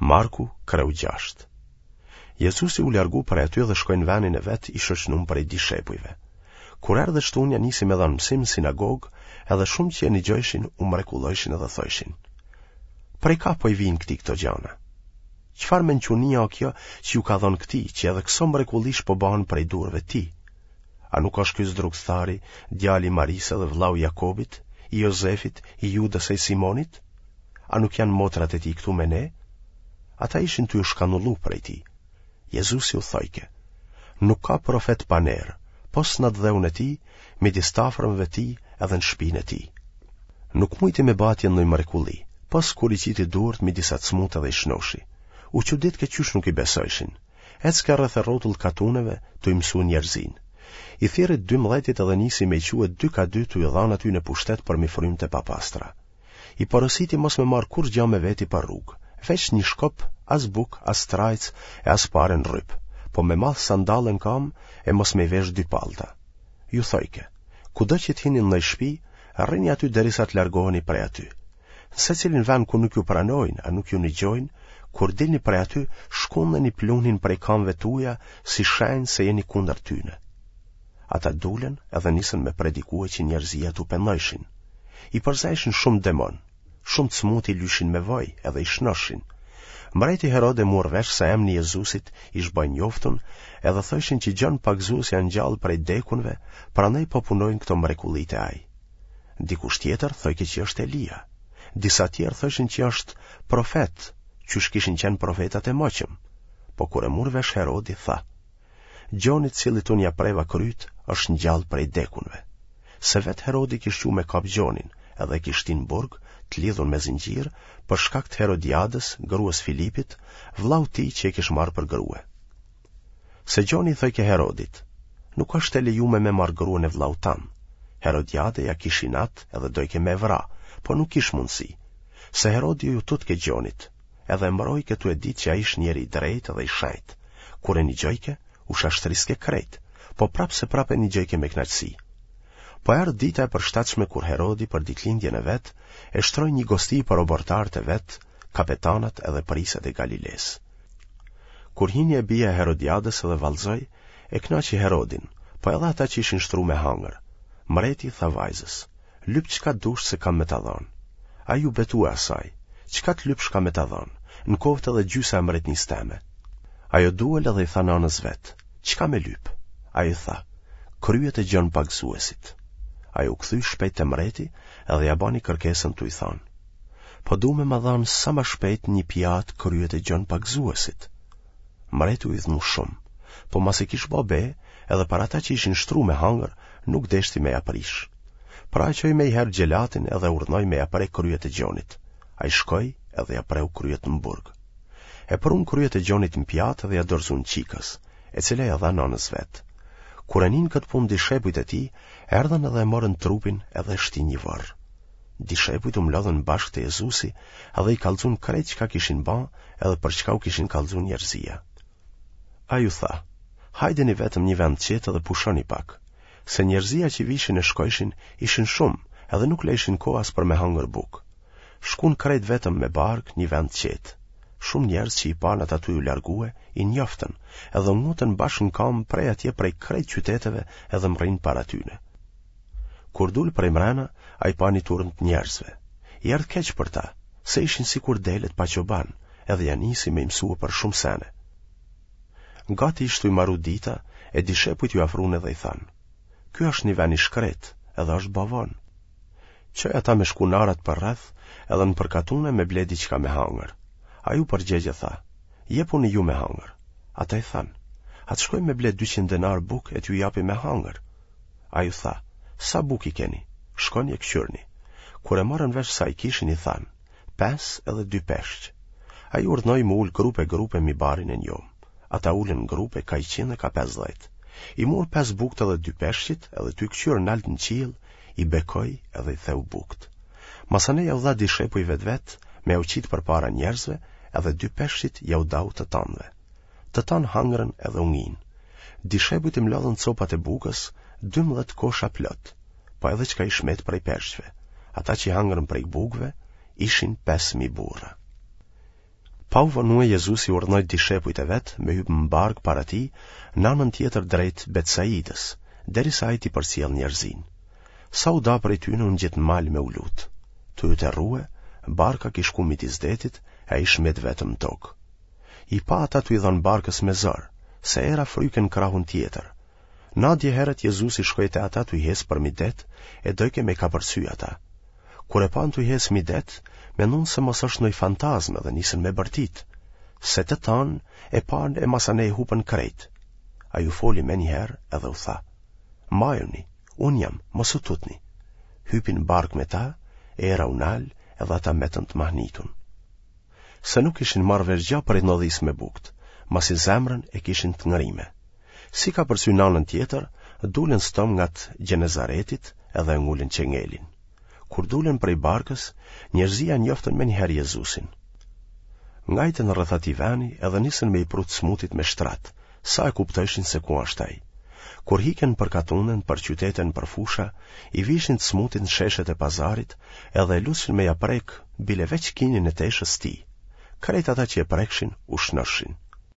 Marku, kreu 6. Jezusi u largu prej aty dhe shkoi në venin e vet i shoqnum prej dishepujve. Kur erdh e shtunja nisi me dhanë mësim në sinagogë, edhe shumë që e nigjojshin u mrekullojshin edhe thojshin. Prej ka po i vijnë këtij këto gjana? Çfarë mençunie o kjo që ju ka dhënë këtij, që edhe këso mrekullish po bahen prej durve tij? A nuk është ky zdrukthari, djali i Marisë dhe vllau i Jakobit, i Jozefit, i Judës e i Simonit? A nuk janë motrat e tij këtu me ne? Ata ishin tu u shkanullu prej tij. Jezusi u thojke, nuk ka profet pa ner, pos në atdheun e tij, midis t'afërmve tij edhe në shpinë e tij. Nuk mujti me ba atje ndonjë mrekulli, pos kur i qiti durt mi disa t'smutë edhe i shnoshi. U çuditke qysh nuk i besojshin. Ecke rreth e rrotull katuneve tu i mësu njerëzinë. I thirri t'dymdhetit edhe nisi me i çue dy ka dy tu i dhanë atyne pushtet përmi frymt e papastra. I porositi mos me marrë kurrgja me veti për rrugë, veç një shkop, as bukë, as trajcë e as pare në rryp, po me math sandalle në kamë e mos me i vesh dy pallta. Ju thojke, kudo që të hini në ndonjë shpi, rrini aty derisa të largoheni prej aty. Në secilin vend ku nuk ju pranojnë a nuk ju nigjojnë, kur dilni prej aty, shkundeni pluhnin prej kamëve tuja si shenjë se jeni kundër tyne. Ata dulën edhe nisën me predikue që njerëzia t'u pendojshin. I përzejshin shumë demonë, shumë të smutë i lyshin me vaj edhe i shnoshin. Mbreti Herod e mur vesh se emni i Jezusit ish ba i njoftun edhe thojshin që Gjon Pagëzuesi a ngjallë prej dekunve, prandaj po punojnë këto mrekulli te ai. Dikush tjetër thojke që është Elia. Disa tjerë thojshin që është profet, qysh kishin qenë profetat e moçëm. Po kur e mur vesh Herodi, tha, Gjoni të cilit unë ja preva kryt, është ngjallë prej dekunve. Se vetë Herodi kish çu me kap Gjonin, edhe e kish shti në burg, të lidhun me zinxhir, për shkak të Herodiadës, grues Filipit, vllaut tij që e kish marrë për grue. Se Gjoni i thojke Herodit, nuk është e lejume me marrë gruen e vllaut tan. Herodiade ja kish inat edhe dojke me vra, po nuk kish mundësi. Se Herodi ju tutke Gjonit, edhe e mbrojke tu e ditë që ai ish njeri i drejtë dhe i shenjtë. Kur e nigjojke, u shashtriske krejt, po prapë se prapë e nigjojke me kënaqësi. Po erdh dita e përshtatshme kur Herodi për ditëlindjen e vet e shtroi një gosti për oborrtarët e vet, kapetanat edhe prijësat e Galilesë. Kur hini e bija e Herodiadës edhe vallëzoi, e kënaqi Herodin, po edhe ata që ishin shtru me hangër. Mreti i tha vajzës, Lyp çka dush se kam me ta dhanë. Ai iu betue asaj, Çka të lypsh kam me ta dhanë, në koftë edhe gjysa e mbretnisë teme. Ajo duel edhe i tha nanës vet, Çka me lyp? Ajo i tha, Kryet e Gjon Pagëzuesit. Ajo u kthy shpejt te mreti edhe ia bani kërkesën tu i thanë, Po du me ma dhanë sa ma shpejt një pjatë kryet e Gjon Pagëzuesit. Mreti u idhnu shumë, po masi kish ba be, edhe për ata që ishin shtru me hangër, nuk deshti me ja prish. Pra e çoi menjëherë xhelatin edhe urdhnoi me ja pre kryet e Gjonit. Ai shkoi edhe ja preu kryet në burg. E prunë kryet e Gjonit në pjatë dhe ja dorëzuan çikës, e cila ja dha nanës vet. Kur e ninë këtë punë dishepujt e tij, erdhën edhe e morën trupin edhe e shtinë një vorr. Dishepujt u mblodhën bashkë te Jezusi edhe i kallxun krejt çka kishin ba edhe për çka u kishin kallxu njerëzia. Ai u tha, hajdeni vetëm një vend qetë dhe pushoni pak, se njerëzia që vishin e shkojshin ishin shumë edhe nuk lejshin kohë as për me hangër bukë. Shkun krejt vetëm me barkë një vend qetë. Shumë njerëz që i panë ata tu u largue, i njoftën, edhe u ngutën bashkë në kamë prej atje prej krejt qyteteve edhe mrrinë para tyne. Kur dul prej mrena, ai pa një turmë të njerëzve. I erdh keq për ta, se ishin sikur delet pa çoban, edhe ja nisi me i mësue për shumë sene. Gati ish tu i maru dita, e dishepujt iu afrun edhe i thanë, Ky është një ven i shkretë, edhe është ba vonë. Çoj ata me shku n'arat përreth, edhe nëpër katune me ble diçka me hangër. Ai u përgjegj e tha, Jepuni ju me hangër. Ata i thanë, A të shkojmë me ble 200 denarë bukë e t'ju japim me hangër? Ai u tha, Sa bukë i keni? Shkoni e këqyrni. Kur e morën vesh sa i kishin i thanë, Pesë edhe dy peshq. Ai urdhnoi m'u ul grupe grupe mi barin e njomë. Ata u ulën grupe ka 100 e ka 50. I mur pesë bukët edhe dy peshqit edhe tu këqyrë nalt në qiell, i bekoi edhe i theu bukët. Masanej jau dha dishepujve të vet, me jau qitë përpara njerëzve, edhe dy peshqit jau dau të tanëve. Të tanë hangrën edhe u nginë. Dishepujt i mlodhën copat e bukës, 12 kosha plot, po edhe çka ish met prej peshqve. Ata që hangrën prej bukëve, ishin 5.000 burra. Pa u vonue Jezusi urdhnoi dishepujt e vet me hypë në barkë para tij në anën tjetër drejt Betsaidës, derisa ai t'i përcjellë njerëzinë. Sa u da prej tyne u ngjit në mal me u lutë. Tu u terrue, barka kish shku midis detit e ai ish met vetëm në tokë. I pa ata tu i dhanë barkës me zor, se era fryke në krahun tjetër. Nadje herët Jezusi shkoi te ata tuj hecë përmi det e dojke me i kapërcy ata. Kur e panë tuj hecë mi det, menduan se mos është ndonjë fantazmë dhe nisën me bërtit, se të tanë e panë e masanej hupën krejt. Ai u foli menjëherë edhe u tha, Mbajuni, unë jam, mos u tutni. Hypi në barkë me ta, era u nal edhe ata metën të mahnitun. Se nuk kishin marrë vesh gja prej ndodhisë me bukët, masi zemrën e kishin të ngrime. Si kapërcyen në anën tjetër, dulën stomngat Gjenezaretit edhe e ngulën çengelin. Kur dulën prej barkës, njerëzia e njoftën menjëherë Jezusin. Ngajtën rreth atij veni edhe nisën me i pru të smutit me shtrat, sa e kuptojshin se ku është ai. Kur hiken nëpër katune, nëpër qytete, nëpër fusha, i vishin të smutit në sheshet e pazarit edhe e lutshin me ia prek bile veç kinin e teshës tij. Krejt ata që e prekshin u shnoshin.